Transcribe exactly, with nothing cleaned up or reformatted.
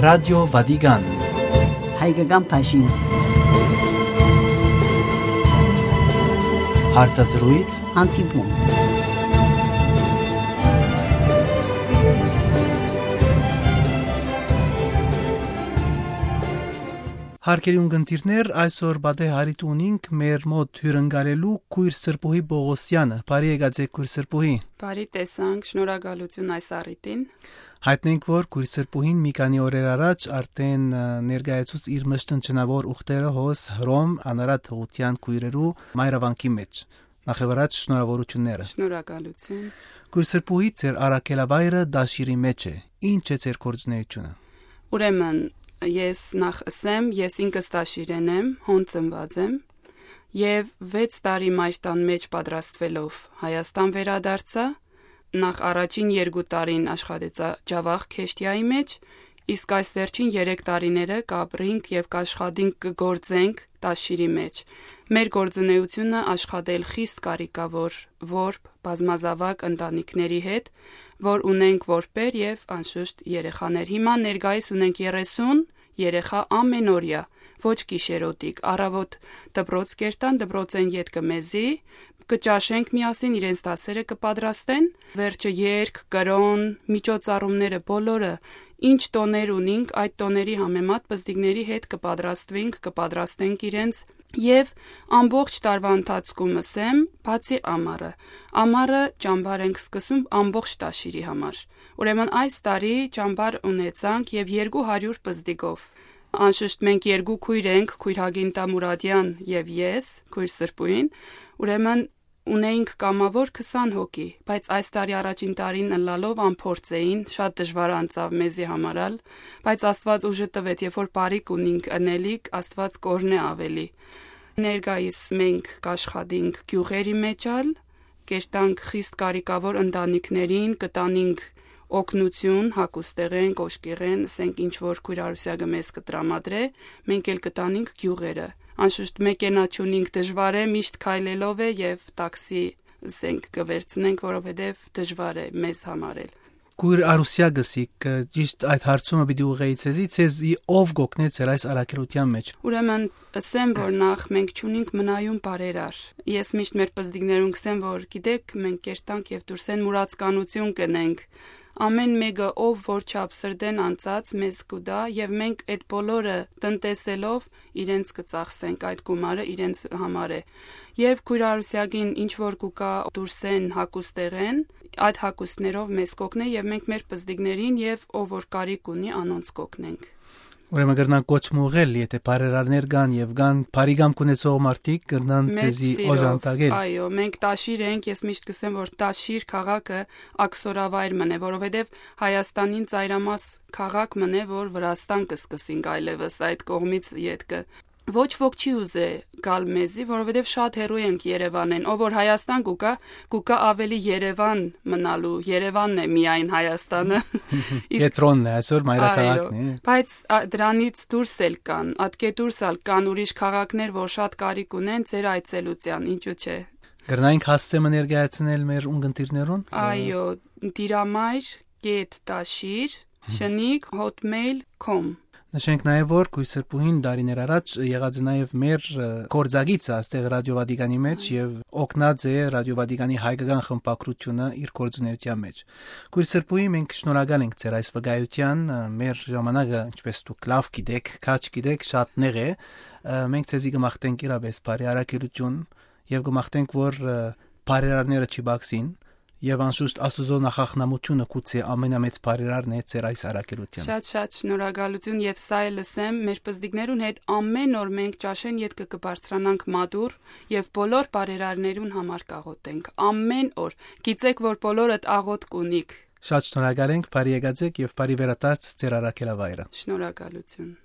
Ռադիո Վատիկան։ Հայկական բաժին։ Հարցազրույց։ Հանդիպում։ Հարգելի ունգընտիրներ, այսօր պատեհ առիթ ունինք մեր մօտ հիւրընկալելու քոյր Սրբուհի Պողոսեանը։ Բարի եկած եք, քոյր Սրբուհի։ Բարի տեսանք, շնորհակալություն այս առիթին։ Յայտնենք, որ քոյր Սրբուհին մի քանի օրեր առաջ արդեն, ը, ներկայացուց իր մշտնջնաւոր ուխտերը հոս Հռոմ անարատ հղութեան քոյրերու մայրավանքի մէջ։ Նախ եւ առաջ շնորհավորությունները։ Շնորհակալություն։ Քոյր Սրբուհի, ձեր առաքելավայրը Տաշիրի մէջ է։ Ի՞նչ է ձեր գործունեությունը։ Ուրեմն, ես նախ ըսեմ, ես ինքս Տաշիրեն եմ, հոն ծնուած եմ, եւ վեց տարի մայր տան մէջ պատրաստուելով Հայաստան վերադարձայ, նախ առաջին երկու տարին աշխատեցայ Ջաւախ Քեշտիայի մէջ, իսկ այս վերջին երեք տարիները կապրինք եւ կաշխատինք, կը գործենք Տաշիրի մէջ։ Մեր գործունեությունը աշխատել խիստ կարիքաւոր որբ, բազմազաւակ ընտանիքների հետ, որ ունենք որբեր եւ անշուշտ երեխաներ։ Հիմա ներկայիս ունենք երեսուն երեխայ ամենօրեայ, ոչ գիշերօտիկ, առաւօտ դպրոց կերտան, դպրոցէն ետքը մեզի, կը ճաշենք միասին, իրենց դասերը կը պատրաստեն, վերջը երգ, կրօն, միջոցառումները բոլորը, ինչ տօներ ունինք, այդ տօների համեմատ պզտիկների հետ կը պատրաստուինք, կը պատրաստենք իրենց, եւ ամբողջ տարուայ ընթացքում ըսեմ, բացի ամառը։ Ամառը ճամբար ենք սկսում ամբողջ Տաշիրի համար։ Ուրեմն այս տարի ճամբար ունեցանք եւ երկու հարիւր պզտիկով։ Անշուշտ մենք երկու քոյր ենք, քոյր Հակինտա Մուրադեան եւ ես, քոյր Սրբուհին, ուրեմն ունեինք կամաւոր քսան հոգի, բայց այս տարի առաջին տարին ըլլալով անփորձ էին, շատ դժուար անցաւ մեզի համար ալ, բայց Աստուած ուժը տուեց, երբ որ բարիք ունինք ընելիք, Աստուած կ'օրհնէ աւելի։ Ներկայիս մենք կ'աշխատենք գիւղերի մէջ ալ, կերտանք խիստ կարիքաւոր ընտանիքներին, կտանինք օգնություն, հագուստեղէն, կոշկեղէն, ըսենք ինչ որ քոյր Արուսեակը մեզ կը տրամադրէ, մենք էլ կտանինք գիւղերը։ Անշուշտ մեքենա չունինք, դժուար է, միշտ քայլելով է եւ տաքսի, ըսենք, կը վերցնենք, որովհետեւ դժուար է մեզ համար էլ։ Քոյր Արուսեակը, սիկ, ճիշտ այդ հարցումը պիտի ուղղեի ձեզի, ձեզի ով կ'օգնէ ձեր այս առաքելութեան մէջ։ Ուրեմն, ըսեմ, որ նախ մենք չունինք մնայուն բարերար։ Ես միշտ մեր պզտիկներուն կ'ըսեմ, որ գիտեք, մենք կերտանք եւ դուրսէն մուրացկանութիւն կ'ընենք։ Ամէն մէկը, ով որ չափ սրտէն անցած, մեզ կու տայ եւ մենք այդ բոլորը տնտեսելով իրենց կը ծախսենք, այդ գումարը իրենց համար է։ Եւ քոյր Արուսեակին ինչ որ կու կայ դուրսէն հագուստեղէն, այդ հագուստներով մեզ կ'օգնէ եւ մենք մեր պզտիկներին եւ ով որ կարիք ունի, անոնց կ'օգնենք։ Ուրեմն կրնան կոչ մը ուղղել, եթե բարերարներ կան եւ կան բարի կամք ունեցող մարդիկ, կրնան մեծ ձեզի սիրով, օժանդակել։ Այո, մենք Տաշիր ենք, ես միշտ կ'ըսեմ, որ Տաշիր քաղաքը աքսորավայր մըն է, որովհետեւ Հայաստանին ծայրամաս քաղաք մըն է, որ Վրաստան կը սկսինք այլեւս այդ կողմից ետքը։ Ոչ ոք չի ուզե գալ մեզի, որովհետեւ շատ հեռու ենք Երևանէն։ Ով որ Հայաստան կու կայ, կու կայ աւելի Երևան մնալու, Երևանն է միայն Հայաստանը։ Իսկ Կեդրոնն է, այսօր այո, մայրաքաղաքն է։ Բայց, ա, դրանից դուրս էլ կան, ատկէ դուրս ալ կան ուրիշ քաղաքներ, որ շատ կարիք ունեն ձեր այցելութեան, ինչու՞ չէ։ Կրնայինք հասցէ մը ներկայացնել մեր ունգընտիրներուն։ Այո, դիրամայր կետ տաշիր, շնիկ, հոթմեյլ կոմ։ Նշենք նաեւ, որ քոյր Սրբուհին տարիներ առաջ եղած է նաեւ մեր, ը, գործակիցը այստեղ Ռադիո Վատիկանի մէջ եւ օգնած է Ռադիո Վատիկանի հայկական խմբակրութիւնը իր գործունեութեան մէջ։ Քոյր Սրբուհի, մենք շնորհակալ ենք ձեր այս վկայութեան, ը, մեր ժամանակը, ինչպես դուք լաւ գիտեք, քաջ գիտեք, շատ նեղ է, ը, մենք ձեզի կը մաղթենք իրապէս բարի առաքելութիւն եւ կը մաղթենք, որ, ը, բարերարները չի բացին եւ անշուշտ Աստուծոյ նախախնամութիւնը գուցե ամենամեծ բարերարն է ձեր այս առաքելութեան։ Շատ, շատ շնորհակալություն եւ սա էլ ըսեմ, մեր պզտիկներուն հետ ամէն օր մենք ճաշեն ետքը կը բարձրանանք մատուռ եւ բոլոր բարերարներուն համար կաղոթենք, ամէն օր։ Գիտեք, որ բոլորդ աղոթք ունիք։ Շատ շնորհակալ ենք, բարի եկած եք եւ բարի վերադարձ ձեր առաքելավայրը։ Շնորհակալություն։